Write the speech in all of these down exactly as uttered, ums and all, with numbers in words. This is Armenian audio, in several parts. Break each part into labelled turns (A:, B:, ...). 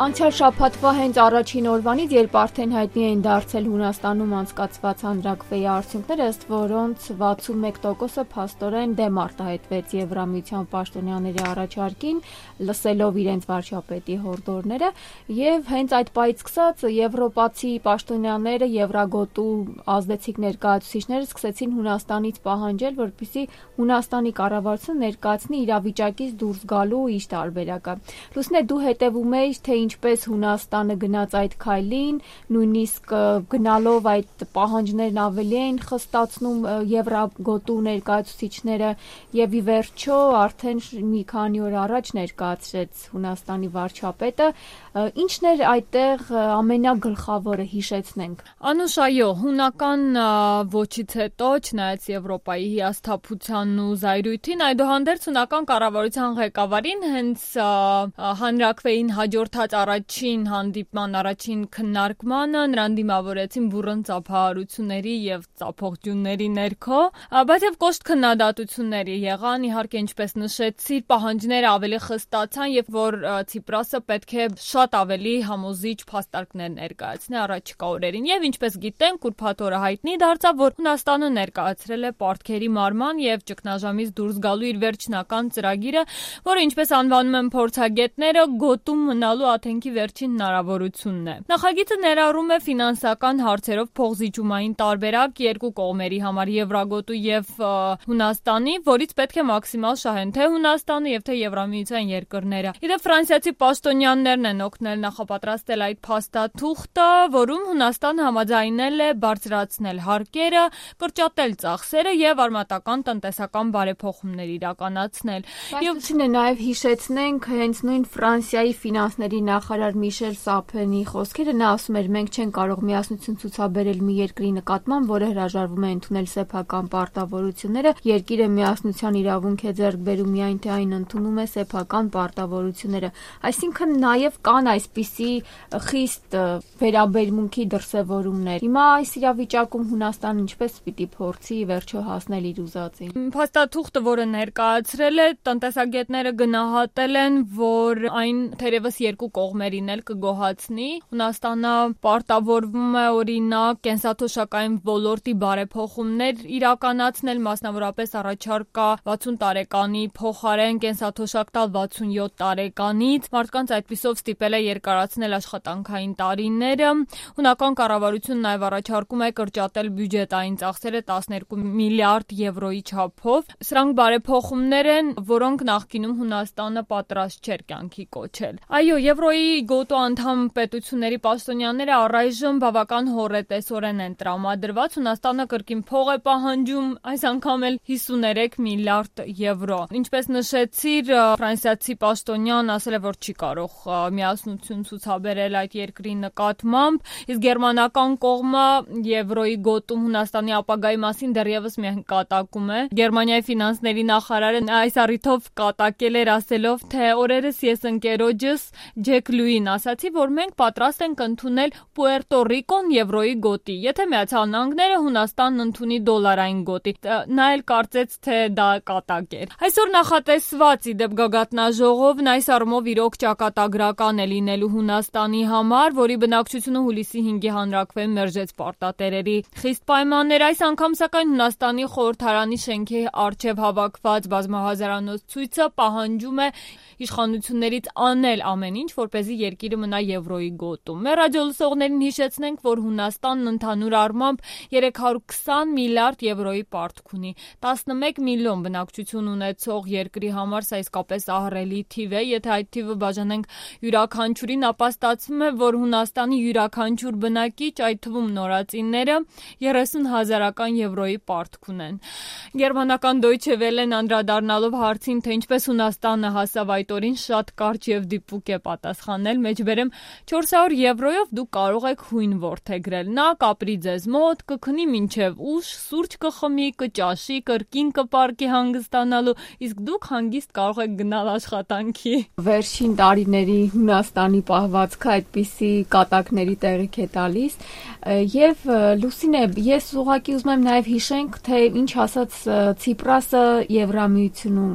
A: Անցյալ շաբաթվա հենց առաջին օրվանից, երբ արդեն հայտնի էին դարձել Հունաստանում անցկացված հանրաքվեի արդյունքները, ըստ որոնց վաթսունմեկ տոկոսը փաստորեն դեմ արտահայտվեց Եվրամիության պաշտոնյաների առաջարկին, լսելով իրենց վարչապետի հորդորները, եւ հենց այդ պահից սկսած եվրոպացի պաշտոնյաները, Եվրագոտու ազդեցիկ ներկայացուցիչները սկսեցին Հունաստանից պահանջել, որպեսզի Հունաստանի կառավարությունը ներկայացնի իրավիճակից դուրս գալու իր տարբերակը։ Լուսինե, դու հետևում ես, թե ինչպես Հունաստանը գնաց այդ քայլին, նույնիսկ գնալով այդ պահանջներն ավելի էին խստացնում Եվրագոտու ներկայացուցիչները, եւ ի վերջո արդեն մի քանի օր առաջ ներկայացրեց Հունաստանի վարչապետը։ Ինչն էր այդտեղ ամենագլխավորը, հիշեցնենք։
B: Անուշ, այո, հունական ոչից հետո, չնայած Եվրոպայի հիասթափությանն ու զայրույթին, այդուհանդերձ հունական կառավարության ղեկավարին հենց հանրաքվեին հաջորդած առաջին հանդիպման, առաջին քննարկմանը նրան դիմավորեցին բուռն ծափահարությունների եւ ծափողջունների ներքո, բայց եւ կոշտ քննադատությունների եղան, իհարկե, ինչպես նշեցի, պահանջները ավելի խստացան եւ որ Ցիպրասը պետք է շատ ավելի համոզիչ փաստարկներ ներկայացնի առաջիկա օրերին եւ ինչպես գիտենք, ուրբաթ օրը հայտնի դարձավ, որ Հունաստանը ներկայացրել է պարտքերի մարման եւ ճգնաժամից դուրս գալու իր վերջնական ծրագիրը, որը ինչպես անվանում են փորձագետները, գոտում մնալու աթենքի վերջին հնարավորությունն է։ Նախագիծը ներառում է ֆինանսական հարցերով փոխզիջումային տարբերակ երկու կողմերի համար, Եվրագոտու եւ Հունաստանի, որից պետք է մաքսիմալ շահեն թե Հունաստանը եւ թե Եվրամիության երկրները։ Իդեպ ֆրանսիացի պաշտոնյաներն են օգնել նախապատրաստել այդ փաստաթուղթը, որում Հունաստանը համաձայնել է բարձրացնել հարկերը, կրճատել ծախսերը եւ արմատական տնտեսական բարեփոխումներ իրականացնել։
A: Բայց նաեւ հիշեցնենք հենց նույն Ֆրանսիայի ֆինանսների նախարար Միշել Սափենի խոսքերը, նա ասում էր, մենք չենք կարող միասնություն ցուցաբերել մի երկրի նկատմամբ, որը հրաժարվում է ընդունել սեփական պարտավորությունները, երկիրը միասնության իրավունք է ձեռք բերում միայն թե այն ընդունում է սեփական պարտավորությունները։ Այսինքն նաեւ կան այսպիսի խիստ վերաբերմունքի դրսևորումներ։ Հիմա այս իրավիճակում Հունաստանը ինչպես պիտի փորձի վերջո հասնել իր ուզածին։
B: Փաստաթուղթը, որը ներկայացրել է, տնտեսագետները գնահատել են, որ այն թերևս երկու կողմերին էլ կգոհացնի։ Հունաստանը պարտավորվում է օրինակ կենսաթոշակային ոլորտի բարեփոխումներ իրականացնել, մասնավորապես առաջարկ կա վաթսուն տարեկանի փոխարեն կենսաթոշակ տալ վաթսունյոթ տարեկանից։ Մարդկանց այդպիսով ստիպել է երկարացնել աշխատանքային տարիները։ Հունական կառավարությունն նաև առաջարկում է կրճատել բյուջետային ծախսերը տասներկու միլիարդ եվրոյի չափով։ Սրանք բարեփոխումներ են, որոնք նախկինում Հունաստանը պատրաստ չէր կյանքի կոչել։ Այո, Եվրոյի գոտու անդամ պետությունների պաշտոնյաները առայժմ բավական հոռետեսորեն են տրամադրված։ Հունաստանը կրկին փող է պահանջում, այս անգամ էլ հիսուներեք միլիարդ եվրո։ Ինչպես նշեցիր, ֆրանսիացի պաշտոնյան ասել է, որ չի կարող միասնություն ցուցաբերել այդ երկրի նկատմամբ, իսկ գերմանական կողմը Եվրոյի գոտում Հունաստանի ապագայի մասին դեռևս միայն կատակում է։ Գերմանիայի ֆինանսների նախարարը այս առիթով կատակել էր ասելով, թե օրերս ես ընկերոջս Ջեք Լուին ասացի, որ մենք պատրաստ ենք ընդունել Պուերտո Ռիկոն Եվրոյի գոտի, եթե Միացյալ Նահանգները Հունաստանն ընդունի դոլարային գոտի։ Նա էլ կարծեց, թե դա կատակ էր։ Այսօր նախատեսված իդեպ գագաթնաժողովն այս առումով իրոք ճակատագրական է լինելու Հունաստանի համար, որի բնակչությունը հուլիսի հինգի հանրաքվեին մերժեց պարտատերերի խիստ պայմաններ։ Այս անգամ սակայն Հունաստանի խորհրդարանի շենքի առջև հավաքված բազմահազարանոց ցույցը պահանջում է իշխանություններից անել ամեն ինչ, որպեսզի երկիրը մնա Եվրոյի գոտում։ Մեր ռադիոլսողներին հիշեցնենք, որ Հունաստանն ընդհանուր առմամբ երեք հարյուր քսան միլիարդ եվրոյի պարտք ունի։ տասնմեկ միլիոն բնակչություն ունեցող երկրի համար սա իսկապես ահռելի թիվ է։ Եթե այդ թիվը բաժանենք յուրաքանչյուրին, ապա ստացվում է, որ Հունաստանի յուրաքանչյուր բնակիչ, այդ թվում նորածինները, երեսուն հազարական եվրոյի պարտք ունեն։ Գերմանական Deutsche Welle-ն անդրադառնալով հարցին, թե ինչպես Հունաստանը հասավ այդ օրին, շատ կարճ եւ դիպուկ է պատասխանել, մեջբերեմ չորս հարյուր եվրոյով դուք կարող եք հույն որդեգրել։ Նա կապրի ձեզ մոտ, կքնի մինչև ուշ, սուրճ կխմի, կճաշի, կրկին կպարկի հանգստանալու, իսկ դուք հանգիստ կարող եք գնալ աշխատանքի։
A: Վերջին տարիների Հունաստանի պահվածքը այդպիսի կատակների տեղիք է տալիս եւ Լուսինե, ես ուղղակի ուզում եմ նաեւ հիշենք, թե ինչ ասաց Ցիպրասը Եվրամիությունում,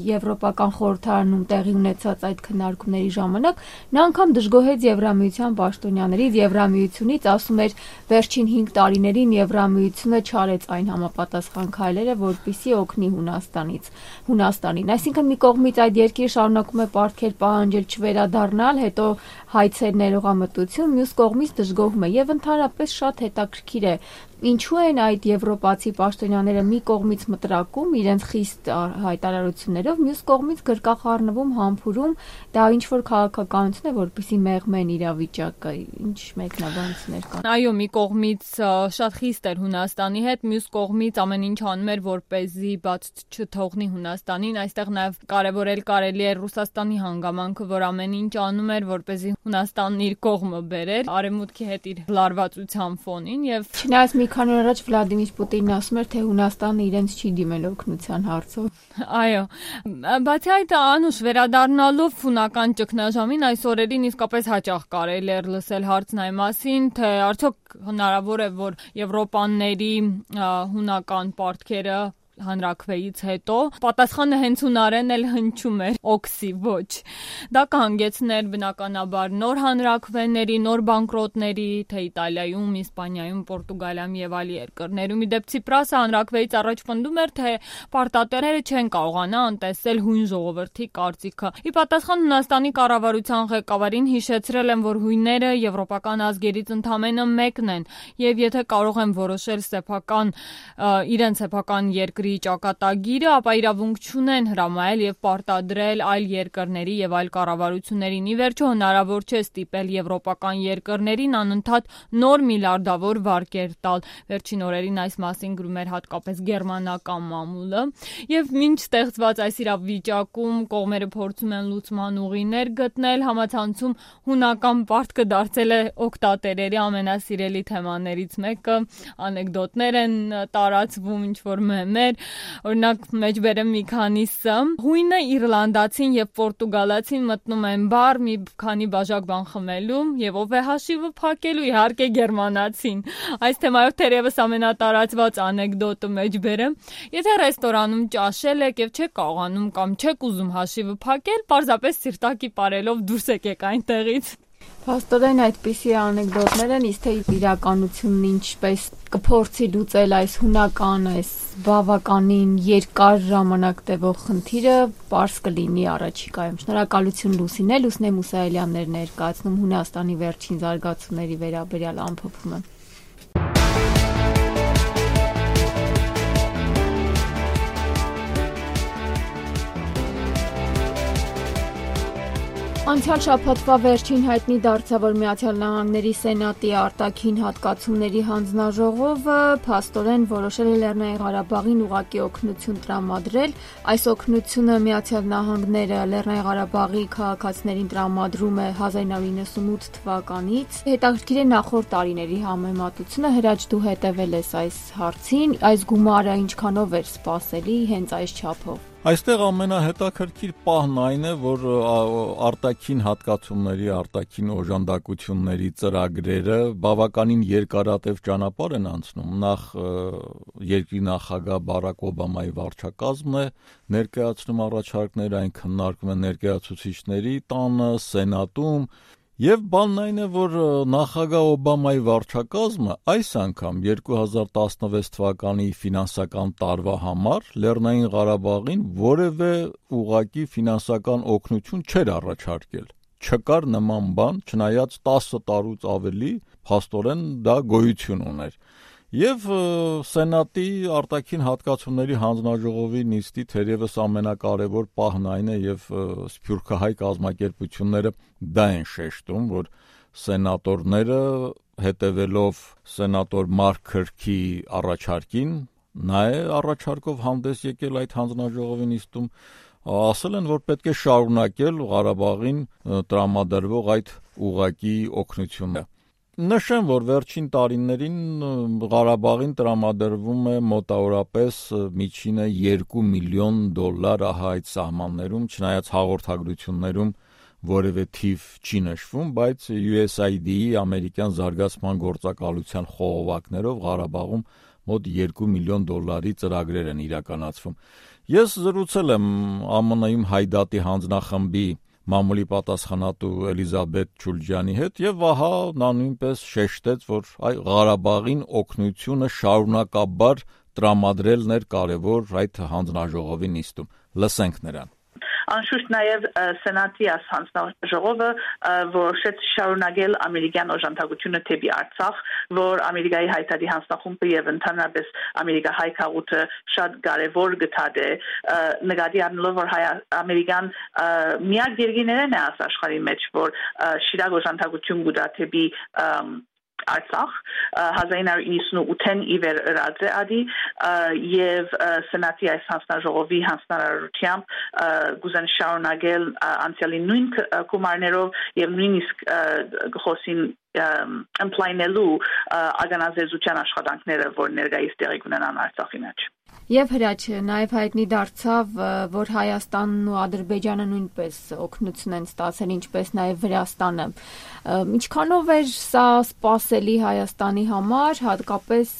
A: Եվրոպական խորհրդարանում տեղի ունեցած այդ քննարկումների ժամանակ, Նա անգամ դժգոհեց Եվրամիության պաշտոնյաներից, Եվրամիությունից, ասում էր վերջին հինգ տարիներին Եվրամիությունը չարեց այն համապատասխան քայլերը, որպեսզի օգնի Հունաստանից, Հունաստանին։ Այսինքն մի կողմից այդ երկիրը շարունակում է պարտքեր պահանջել չվերադառնալ, հետո հայցեր ներողամտություն, մյուս կողմից դժգոհում է եւ ընդհանրապես շատ հետաքրքիր է ինչու են այդ եվրոպացի պաշտոնյաները մի կողմից մտրակում իրենց խիստ հայտարարություններով, մյուս կողմից գրկախառնվում, համբուրում, դա ինչ որ քաղաքականություն է, որպեսզի մեղմեն իրավիճակը, ինչ մեկնաբանություններ կան։
B: Այո, մի կողմից շատ խիստ էր Հունաստանի հետ, մյուս կողմից ամեն ինչ անում էր, որպեսզի բաց չթողնի Հունաստանին, այստեղ նաև կարևորել կարելի է Ռուսաստանի հանգամանքը, որ ամեն ինչ անում էր, որպեսզի Հունաստանն իր կողմը բերեր, արևմուտքի հետ իր լարվածության ֆոնին եւ
A: չնայած մի քանի օր առաջ Վլադիմիր Պուտինն ասում էր, թե Հունաստանը իրենց չի դիմել օգնության հարցով։
B: Այո, բացի այդ անուշ վերադառնալով հունական ճգնաժամին այս օրերին իսկապես հաճախ կարելի էր լսել հարցն այն մասին, թե արդյոք հնարավոր է, որ եվրոպաների հունական պարտքերը հանրաքվեից հետո պատասխանը հենց հունարեն էլ հնչում էր օքսի ոչ դա կհանգեցներ բնականաբար նոր հանրաքվեների, նոր բանկրոտների, թե Իտալիայում, Իսպանիայում, Պորտուգալիայում եւ այլ երկրներում։ Իդեպ Ցիպրասը հանրաքվեից առաջ պնդում էր, թե պարտատերերը չեն կարողանա անտեսել հույն ժողովրդի կարծիքը։ Ի պատասխան Հունաստանի կառավարության ղեկավարին հիշեցրել են, որ հույները եվրոպական ազգերից ընդամենը մեկն են եւ եթե կարող են որոշել սեփական իրենց սեփական երկրի ճակատագիրը, ապա իրավունք չունեն հրամայել եւ պարտադրել այլ երկրների եւ այլ կառավարություններին։ Ի վերջո հնարավոր չէ ստիպել եվրոպական երկրներին անընդհատ նոր միլիարդավոր վարկեր տալ։ Վերջին օրերին այս մասին գրում էր հատկապես գերմանական մամուլը եւ մինչ ստեղծված այս իրավիճակում կողմերը փորձում են լուծման ուղիներ գտնել, համացանցում հունական պարտքը դարձել է օկտատերերի ամենասիրելի թեմաներից մեկը, անեկդոտներ են տարածվում, ինչ որ մեմեր, օրինակ մեջ բերեմ մի քանիսը։ Հույնը իռլանդացին եւ պորտուգալացին մտնում են բար մի քանի բաժակ բան խմելու եւ ով է հաշիվը փակելու, իհարկե գերմանացին։ Այս թեմայով թերևս ամենատարածված անեկդոտը մեջ բերեմ։ Եթե ռեստորանում ճաշել եք եւ չեք կարողանում կամ չեք ուզում հաշիվը փակել, պարզապես սիրտակի parելով դուրս եկեք այնտեղից։
A: Փաստորեն այդպիսի անեկդոտներ են, իսկ թե իրականությունն ինչպես կփորձի լուծել այս հունական, այս բավականին երկար ժամանակ տևող խնդիրը, պարզ կլինի առաջիկայում։ Շնորհակալություն Լուսինե, Լուսինե Մուսայելյաններ ներկայացնում Հունաստանի վերջին զարգացումների վերաբերյալ ամփոփումը։ Անցյալ շաբաթվա վերջին հայտնի դարձավ, որ Միացյալ Նահանգների Սենատի արտաքին հատկացումների հանձնաժողովը փաստորեն որոշել է Լեռնային Ղարաբաղին ուղղակի օգնություն տրամադրել։ Այս օգնությունը Միացյալ Նահանգները Լեռնային Ղարաբաղի քաղաքացիներին տրամադրում է հազար իննսուն իննսունութ թվականից։ Հետաքրքիր է նախորդ տարիների համեմատությունը, Հրաչ դու հետևել ես այս հարցին, այս գումարը ինչքանով էր սպասելի հենց այս չափով։
C: Այստեղ ամենահետաքրքիր պահն այն է, որ արտաքին հատկացումների, արտաքին օժանդակությունների ծրագրերը բավականին երկարատև ճանապարհ են անցնում։ Նախ երկրի նախագահ Բարակ Օբամայի վարչակազմն է ներկայացնում առաջարկներ, այն քննարկվում է ներկայացուցիչների տանը, Սենատում։ Եվ բանն այն է, որ նախագահ Օբամայի վարչակազմը այս անգամ երկու հազար տասնվեց թվականի ֆինանսական տարվա համար Լեռնային Ղարաբաղին որևէ ուղղակի ֆինանսական օգնություն չէր առաջարկել։ Չկար նման բան, չնայած տասը տարուց ավելի փաստորեն դա գոյություն ուներ։ Եվ Սենատի արտաքին հատկացումների հանձնաժողովի նիստի թերևս ամենակարևոր պահն այն է եւ սփյուռքահայ կազմակերպությունները դա են շեշտում, որ սենատորները հետևելով սենատոր Մարկ Քըրքի առաջարկին, նա է առաջարկով հանդես եկել այդ հանձնաժողովի նիստում, ասել են, որ պետք է շարունակել Ղարաբաղին տրամադրվող այդ ուղղակի օգնությունը։ Նշեմ, որ վերջին տարիներին Ղարաբաղին տրամադրվում է մոտավորապես միջինը երկու միլիոն դոլար ահա այդ սահմաններում, չնայած հաղորդագրություններում որևէ թիվ չի նշվում, բայց յու էս այ դի-ի ամերիկյան զարգացման գործակալության խողովակներով Ղարաբաղում մոտ երկու միլիոն դոլարի ծրագրեր են իրականացվում։ Ես զրուցել եմ Ամն-ում Հայդատի հանձնախմբի մամուլի պատասխանատու Էլիզաբեթ Չուլջյանի հետ, եւ ահա նա նույնպես շեշտեց, որ այ Ղարաբաղին օգնությունը շարունակաբար տրամադրելն էր կարևոր այդ հանձնաժողովի նիստում։ Լսենք նրան։
D: Անշուշտ նաև սենատի հանձնաժողովը որոշեց շարունակել ամերիկյան օժանդակությունը թեպի Արցախ, որ Ամերիկայի հայտարարի հանձնախումբը եւ ընդհանրապես ամերիկահայ քաղաքը շատ կարևոր գտած է, նկատի առնելով որ ամերիկան միակ երկիրներն է աշխարհի մեջ, որ շիրակ օժանդակություն կուտա թեպի Արցախ հազար ինը հարյուր նվաթ ի վեր ըրած է ադի եւ սենատի այս հանձնաժողովի հանձնարարությամբ գուզեն շարունակել անցյալի նույն գումարներով եւ նույնիսկ խոսին ըմպլայնելու ագանազերծության աշխատանքները, որ ներկայիս տեղի կունենան Արցախի մեջ։
A: Եվ Հրաչ, նաև հայտնի դարձավ, որ Հայաստանն ու Ադրբեջանը նույնպես օգնություն են ստացել, ինչպես նաև Վրաստանը։ Ինչքանով էր սա սպասելի Հայաստանի համար, հատկապես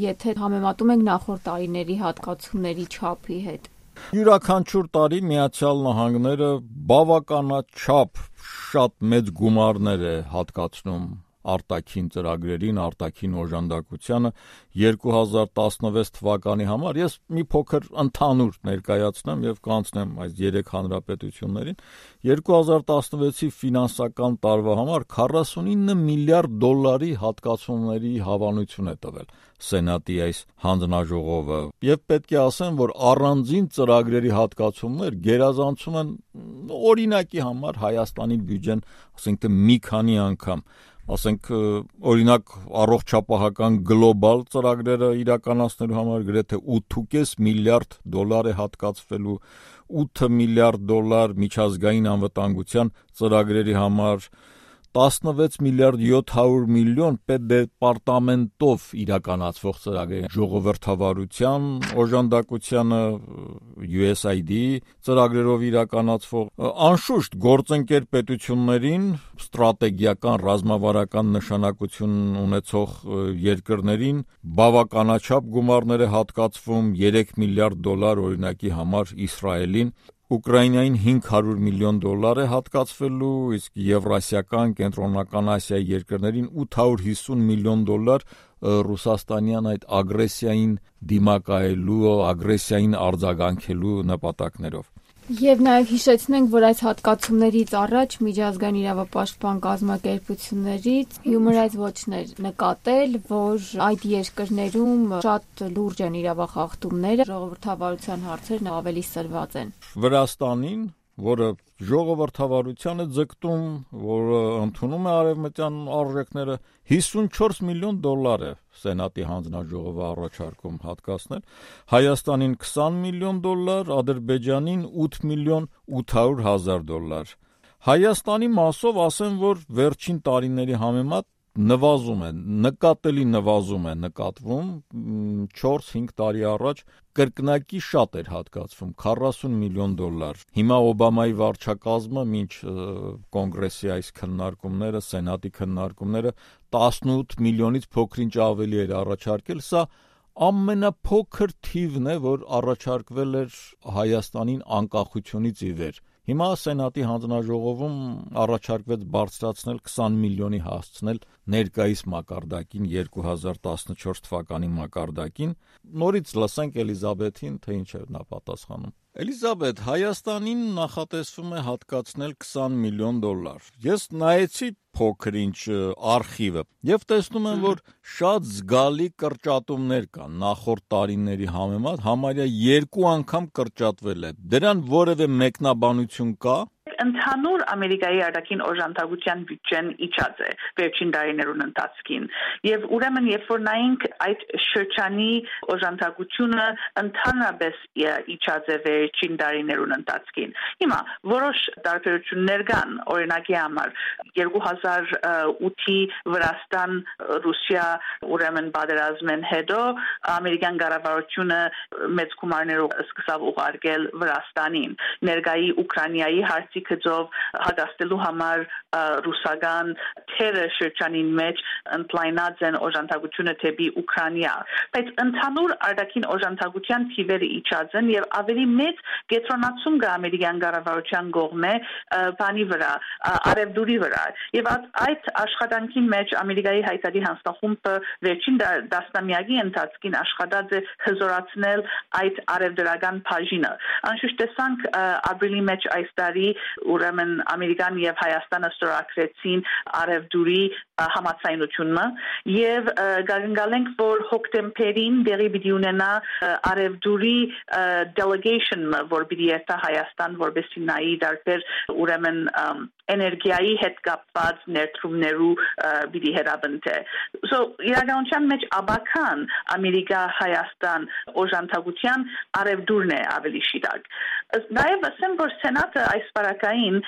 A: եթե համեմատում ենք նախորդ տարիների հատկացումների չափի հետ։
C: Յուրաքանչյուր տարի Միացյալ Նահանգները բավականաչափ շատ մեծ գումարներ է հատկացնում արտաքին ծրագրերին, արտաքին օժանդակությանը երկու հազար տասնվեց թվականի համար։ Ես մի փոքր ընդհանուր ներկայացնեմ եւ կանցնեմ այս երեք հանրապետություններին։ երկու հազար տասնվեցի ֆինանսական տարվա համար քառասունինը միլիարդ դոլարի հատկացումների հավանություն է տվել Սենատի այս հանձնաժողովը, եւ պետք է ասեմ, որ առանձին ծրագրերի հատկացումներ գերազանցում են օրինակի համար Հայաստանի բյուջեն, ասենք թե մի քանի անգամ։ Ասենք օրինակ առողջապահական գլոբալ ծրագրերը իրականացնելու համար գրեթե ութ կoma պենս միլիարդ դոլար է հատկացվելու, ութ միլիարդ դոլար միջազգային անվտանգության ծրագրերի համար, տասնվեց միլիարդ յոթ հարյուր միլիոն պետդեպարտամենտով իրականացվող ծրագրերի ժողովրդավարության օժանդակությանը յու էս այ դի ծրագրերով իրականացվող, անշուշտ գործընկեր պետություններին ստրատեգիական ռազմավարական նշանակություն ունեցող երկրներին բավականաչափ գումարներ է հատկացվում, երեք միլիարդ դոլար օրինակի համար Իսրայելին, Ուկրաինային հինգ հարյուր միլիոն դոլար է հատկացվելու, իսկ Եվրասիական, Կենտրոնական Ասիայի երկրներին ութ հարյուր հիսուն միլիոն դոլար ռուսաստանյան այդ ագրեսիային դիմակայելու, ագրեսիային արձագանքելու նպատակներով։
A: Եվ նաև հիշեցնենք, որ այս հատկացումներից առաջ միջազգային իրավապաշտպան կազմակերպություններից Human Rights Watch-ներ նկատել, որ այդ երկրներում շատ լուրջ են իրավախախտումները, ժողովրդավարության հարցերն ավելի սրված են։
C: Վրաստանին, որը ժողովրդավարության է ձգտում, որը ընդունում է արևմտյան արժեքները, հիսունչորս միլիոն դոլար է Սենատի հանձնաժողովը առաջարկում հատկացնել, Հայաստանին քսան միլիոն դոլար, Ադրբեջանին ութ միլիոն ութ հարյուր հազար դոլար։ Հայաստանի մասով ասեմ, որ վերջին տարիների համեմատ նվազում է, նկատելի նվազում է նկատվում, չորս-հինգ տարի առաջ կրկնակի շատ էր հատկացվում, քառասուն միլիոն դոլար։ Հիմա Օբամայի վարչակազմը մինչ կոնգրեսի այս քննարկումները, սենատի քննարկումները տասնութ միլիոնից փոքրինչ ավելի էր առաջարկել, սա ամենափոքր թիվն է, որ առաջարկվել էր Հայաստանին անկախությունից ի վեր։ Հիմա Սենատի հանձնաժողովում առաջարկվեց բարձրացնել քսան միլիոնի հասցնել ներկայիս մակարդակին երկու հազար տասնչորս թվականի մակարդակին։ Նորից լսենք Էլիզաբեթին, թե ինչ է նա պատասխանում։ Էլիզաբեթ, Հայաստանին նախատեսվում է հատկացնել քսան միլիոն դոլար։ Ես նայեցի փոքր-ինչ արխիվը եւ տեսնում եմ, որ շատ զգալի կրճատումներ կան նախորդ տարիների համեմատ, համարյա երկու անգամ կրճատվել է։ Դրան որևէ մեկնաբանություն կա։
D: Ընդհանուր Ամերիկայի արտաքին օժանդակության բյուջեն իջած է վերջին տարիներուն ընթացքին եւ ուրեմն երբ որ նայենք այդ շրջանի օժանդակությունը ընդհանրապես իջած է վերջին տարիներուն ընթացքին։ Հիմա որոշ տարբերություններ կան, օրինակի համար երկու հազար ութի Վրաստան Ռուսիա ուրեմն պատերազմեն հետո ամերիկյան կառավարությունը մեծ գումարներով սկսավ ուղարկել Վրաստանին։ Ներկայի Ուկրաինայի հարցի գծով հագաստելու համար ռուսական թերը շրջանին մեջ ընդլայնած են օժանդակությունը թեպի Ուկրաինա, բայց ընդհանուր արտաքին օժանդակության թիվերը իջած են եւ ավելի մեծ կենտրոնացում կա ամերիկյան կառավարության կողմէ բանի վրա, արևդուրի վրա եւ այդ աշխատանքի մեջ Ամերիկայի հայտարարի հանձնախումբը վերջին դասնամյակի ընթացքին աշխատած է հզորացնել այդ արևդրական բաժինը։ Անշուշտ տեսանք ապրիլի մեջ այս տարի ուրեմն Ամերիկան եւ Հայաստանը ստորագրեցին արևդուրի համաձայնությունը եւ գալենք որ հոկտեմբերին դերի պիտի ունենա արևդուրի delegation-ը որ պիտի երթա Հայաստան որպեսզի նայի դարբեր ուրեմն էներգիայի հետ կապված ներդրումներու պիտի հրաբնթե so իրականության մեջ աբական Ամերիկա Հայաստան օժանդակության արևդուրն է ավելի շիրակ նաև ասեմ որ սենատը այս բարակային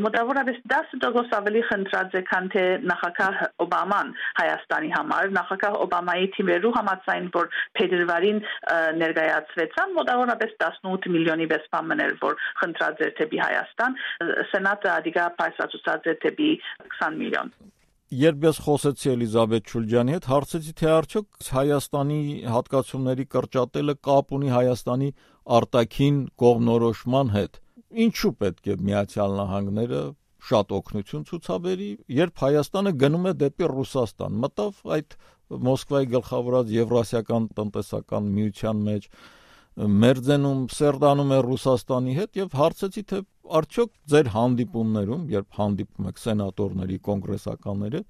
D: մոտավորապես դասը տոկոս ավելի խնդրած է քան թե նախագահ Օբաման Հայաստանի համար նախագահ Օբամայի թիմերու համաձայն որ փետրվարին ներկայացվեցան մոտավորապես տասնութ միլիոնի վեց բաներ որ խնդրած էր թեպի Հայաստան սենատը ադիգա պայսացուցած է թեպի քսան միլիոն
C: Երբ ես խոսեցի Էլիզաբեթ Շուլջյանի հետ, հարցեցի թե արդյոք Հայաստանի հատկացումների կրճատելը կապ ունի Հայաստանի արտաքին կողմնորոշման հետ։ Ինչու պետք է Միացյալ Նահանգները շատ օգնություն ցուցաբերի, երբ Հայաստանը գնում է դեպի Ռուսաստան, մտավ այդ Մոսկվայի գլխավորած Եվրասիական տնտեսական միության մեջ, մերձենում, սերդանում է Ռուսաստանի հետ եւ հարցեցի թե արդյոք ձեր հանդիպումներում, երբ հանդիպում եք սենատորների, կոնգրեսականների,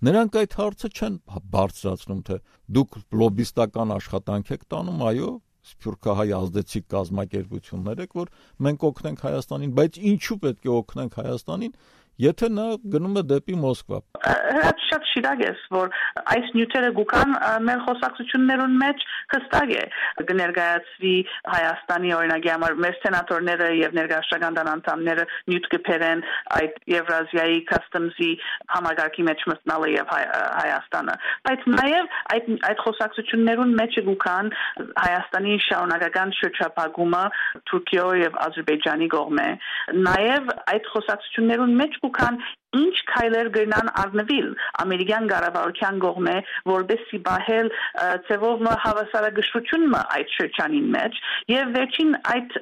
C: նրանք այդ հարցը չեն բարձրացնում, թե դուք լոբիստական աշխատանք եք տանում, այո, սփյուռքահայ ազդեցիկ կազմակերպություններ եք, որ մենք օգնենք Հայաստանին, բայց ինչու պետք է օգնենք Հայաստանին, եթե նա գնում է դեպի Մոսկվա։
D: Հրաց շատ շիրակ է, որ այս նյութերը գուկան մեր խոսակցություններուն մեջ հստակ է կներկայացվի Հայաստանի օրինակի համար մեր սենատորները եւ ներկայացական անդամները նյութ կփերեն այդ Եվրազիայի customs-ի համագարկի մեջ մտնալը եւ Հայաստանը բայց նաեւ այդ այդ խոսակցություններուն մեջ գուկան Հայաստանի շարունակական շրջափակումը Թուրքիո եւ Ադրբեջանի կողմէ նաեւ այդ խոսակցություններուն մեջ Կան ինչ քայլեր գնան առնվիլ ամերիկյան կառավարության կողմէ որպեսզի բահել ծևով հավասարակշռությունը այդ շրջանին մեջ եւ վերջին այդ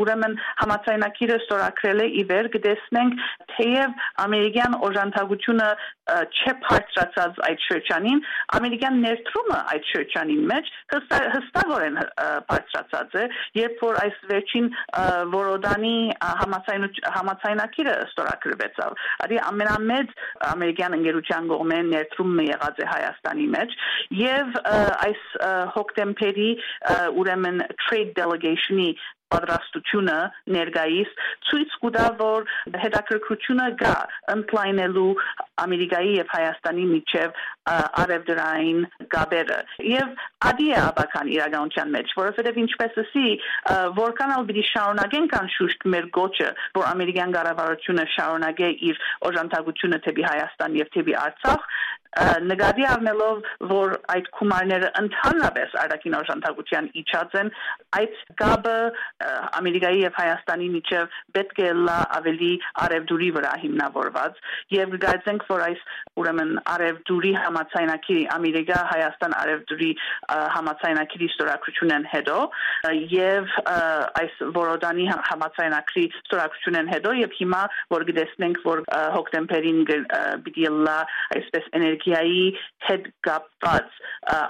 D: ուրեմն համաձայնագիրը ստորագրել է ի վեր կտեսնենք թեև ամերիկյան օժանդակությունը չէ բարձրացած այդ շրջանին ամերիկյան ներդրումը այդ շրջանին մեջ հստակորեն բարձրացած է երբ որ այս վերջին որոդանի համաձայնագիրը ստորագրվեցավ արի ամենամեծ ամերիկյան ընկերության կողմէ ներդրումը եղած է Հայաստանի մեջ եւ այս հոկտեմբերի ուրեմն trade delegation-ի պատրաստությունը ներկայիս ցույց կտա որ հետաքրքրությունը կա ընդլայնելու Ամերիկայի եւ Հայաստանի միջև արևդրային գաբերը եւ ադի է աբական իրականության մեջ որովհետեւ ինչպես ասի որքան ալ պիտի շարունակենք անշուշտ մեր գոչը որ ամերիկյան կառավարությունը շարունակե իր օժանդակությունը թեպի Հայաստան եւ թեպի Արցախ նկատի առնելով որ այդ գումարները ընդհանրապես արտաքին օժանդակության իջած են այդ գաբը Ամերիկայի եւ Հայաստանի միջև պետք է լա ավելի արևդուրի վրա հիմնավորված եւ գայցենք որ այս ուրեմն արևդուրի համաձայնագիրի Ամերիկա Հայաստան արևդուրի համաձայնագիրի ստորագրությունն հետո եւ այս որոդանի համաձայնագիրի ստորագրությունն հետո եւ հիմա որ գտեսնենք որ հոկտեմբերին պիտի լա այսպես էներգիայի հետ կապված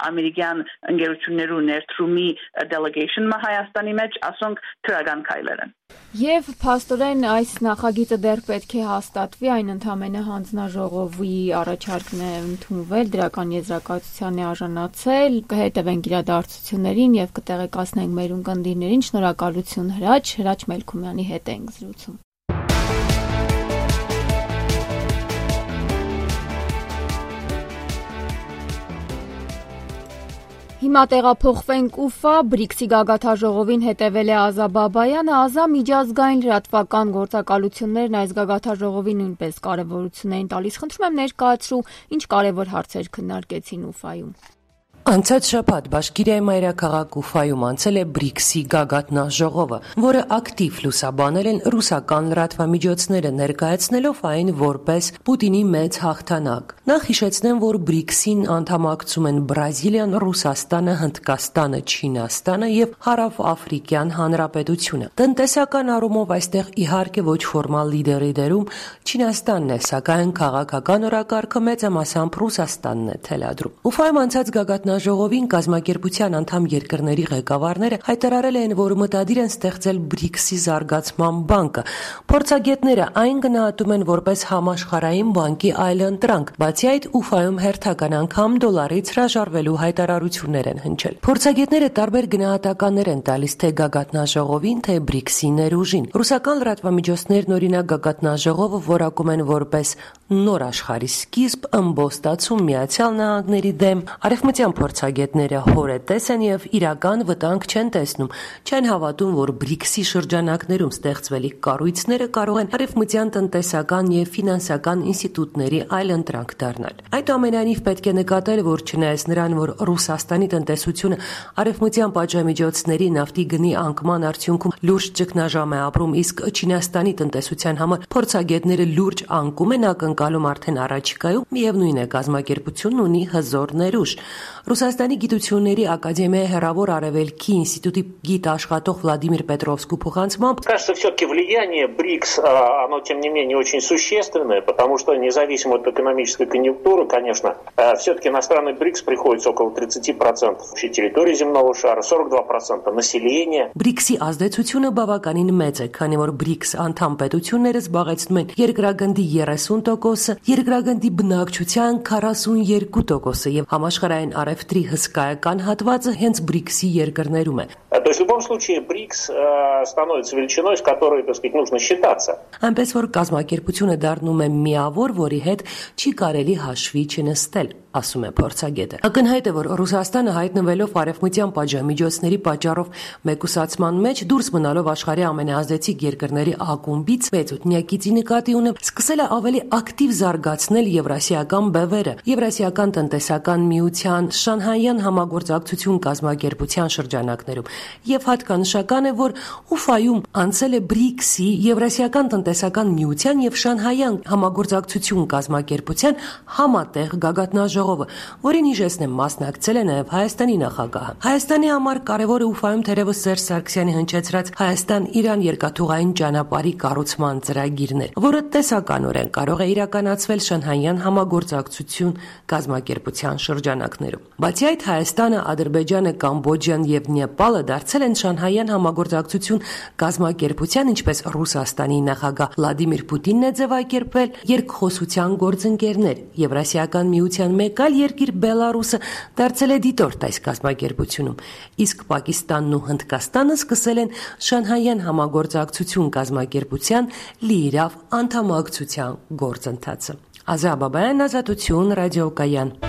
D: ամերիկյան ընկերություններու ներդրումի delegation-ը Հայաստանի մեջ ասոնք քրական քայլեր են
A: Եվ փաստորեն այս նախագիծը դեռ պետք է հաստատվի այն ընդամենը հանձնաժողովի առաջարկն է ընդունվել դրական եզրակացության է արժանացել կհետևենք իրադարձություններին եւ կտեղեկացնենք մեր ունկնդիրներին շնորհակալություն Հրաչ Հրաչ Մելքումյանի հետ ենք զրուցում Հիմա տեղափոխվենք Ուֆա, բրիքսի գագաթաժողովին հետևել է Ազա Բաբայանը, Ազա միջազգային լրատվական գործակալություններն այս գագաթաժողովի նույնպես կարևորություն էին տալիս։ Խնդրում եմ ներկայացրու, ինչ կարևոր հարցեր քննարկեցին Ուֆայում։
E: Անցած շաբաթ Բաշկիրիայի մայրաքաղաք Ուֆայում անցել է բրիքսի գագաթնաժողովը, որը ակտիվ լուսաբանել են ռուսական լրատվամիջոցները, ներկայացնելով այն որպես Պուտինի մեծ հաղթանակ։ Նախ հիշեցնեմ, որ բրիքսին անդամակցում են Բրազիլիան, Ռուսաստանը, Հնդկաստանը, Չինաստանը եւ Հարավաֆրիկյան Հանրապետությունը։ Տնտեսական առումով այստեղ իհարկե ոչ ֆորմալ լիդերի դերում Չինաստանն է, սակայն քաղաքական օրակարգը մեծամասամբ Ռուսաստանն է թելադրում։ Ուֆայում անցած գագաթնաժողովին կազմակերպության անդամ երկրների ղեկավարները հայտարարել են, որ մտադիր են ստեղծել բրիքսի զարգացման բանկը։ Փորձագետները այն գնահատում են որպես համաշխարհային բանկի այլընտրանք, բացի այդ Ուֆայում հերթական անգամ դոլարից հրաժարվելու հայտարարություններ են հնչել։ Փորձագետները տարբեր գնահատականներ են տալիս թե գագաթնաժողովին, թե բրիքսի ներուժին։ Ռուսական լրատվամիջոցներն օրինակ գագաթնաժողովը որակում են որպես նոր աշխարհի սկիզբ, ըմբոստացում Միացյալ Նահանգների դեմ։ Արևմտյան փորձագետները հորետես են եւ իրական վտանգ չեն տեսնում, չեն հավատում, որ բրիքսի շրջանակներում ստեղծվելիք կառույցները կարող են արևմտյան տնտեսական եւ ֆինանսական ինստիտուտների այլընտրանք դառնալ։ Այդուամենայնիվ պետք է նկատել, որ չնայած նրան, որ Ռուսաստանի տնտեսությունը արևմտյան պատժամիջոցների նավթի գնի անկման արդյունքում լուրջ ճգնաժամ է ապրում, իսկ Չինաստանի տնտեսության համար փորձագետները լուրջ անկում են ակնկալում արդեն առաջիկայում, միևնույն է կազմակերպությունն ունի հզոր ներուժ։ Ռուսաստանի գիտությունների ակադեմիայի հեռավոր արևելքի ինստիտուտի գիտաշխատող Վլադիմիր Պետրովսկու փոխանցմամբ
F: кажется, все-таки влияние БРИКС, оно тем не менее очень существенное, потому что независимо от экономической конъюнктуры, конечно, все-таки на страны БРИКС приходится около тридцать процентов общей территории земного шара, сорок два процента населения.
E: բրիքսի ազդեցությունը բավականին մեծ է, քանի որ բրիքս անդամ պետությունները զբաղեցնում են երկրագնդի երեսուն տոկոսը, երկրագնդի բնակչության քառասունյոթ տոկոսը եւ համաշխարհային արևտրի հսկայական հատվածը հենց բրիքսի երկրներում է։
F: То есть в любом случае БРИКС становится величиной, с которой, так сказать, нужно считаться.
E: Այնպես որ կազմակերպությունը դառնում է միավոր, որի հետ չի կարելի հաշվի չնստել, ասում է փորձագետը։ Ակնհայտ է, որ Ռուսաստանը հայտնվելով արևմտյան պատժամիջոցների պատճառով մեկուսացման մեջ, դուրս մնալով աշխարհի ամենաազդեցիկ երկրների ակումբից մեծ ութնյակիցի նկատի ունեմ, սկսել է ավելի ակտիվ զարգացնել եվրասիական բևերը, Եվրասիական տնտեսական միության Շանհայյան համագործակցություն կազմակերպության շրջանակներում, եւ հատկանշական է, որ Ուֆայում անցել է բրիքսի, Եվրասիական տնտեսական միության եւ Շանհայյան համագործակցություն կազմակերպության համատեղ գագաթնաժողովը, որին հիշեցնեմ մասնակցել է նաեւ Հայաստանի նախագահը։ Հայաստանի համար կարևոր է Ուֆայում թերևս Սերժ Սարգսյանի հնչեցրած Հայաստան-Իրան երկաթուղային ճանապարհի կառուցման ծրագիրն էր, որը տեսականորեն կարող է իրականացվել Շանհայյան համագործակցություն կազմակերպության շրջանակներում։ Բացի այդ, Հայաստանը, Ադրբեջանը, Կամբոջան եւ Նեպալը դարձել են Շանհայյան համագործակցություն կազմակերպության, ինչպես Ռուսաստանի նախագահ Վլադիմիր Պուտինն է ձևակերպել, երկխոսության գործընկերներ։ Եվրասիական միության մեկ այլ երկիր Բելարուսը դարձել է դիտորդ այս կազմակերպությունում, իսկ Պակիստանն ու Հնդկաստանը սկսել են Շանհայյան համագործակցություն կազմակերպության լիիրավ անդամակցության գործընթացը։ Ազա Բաբայան, Ազատություն, Ռադիոկայան։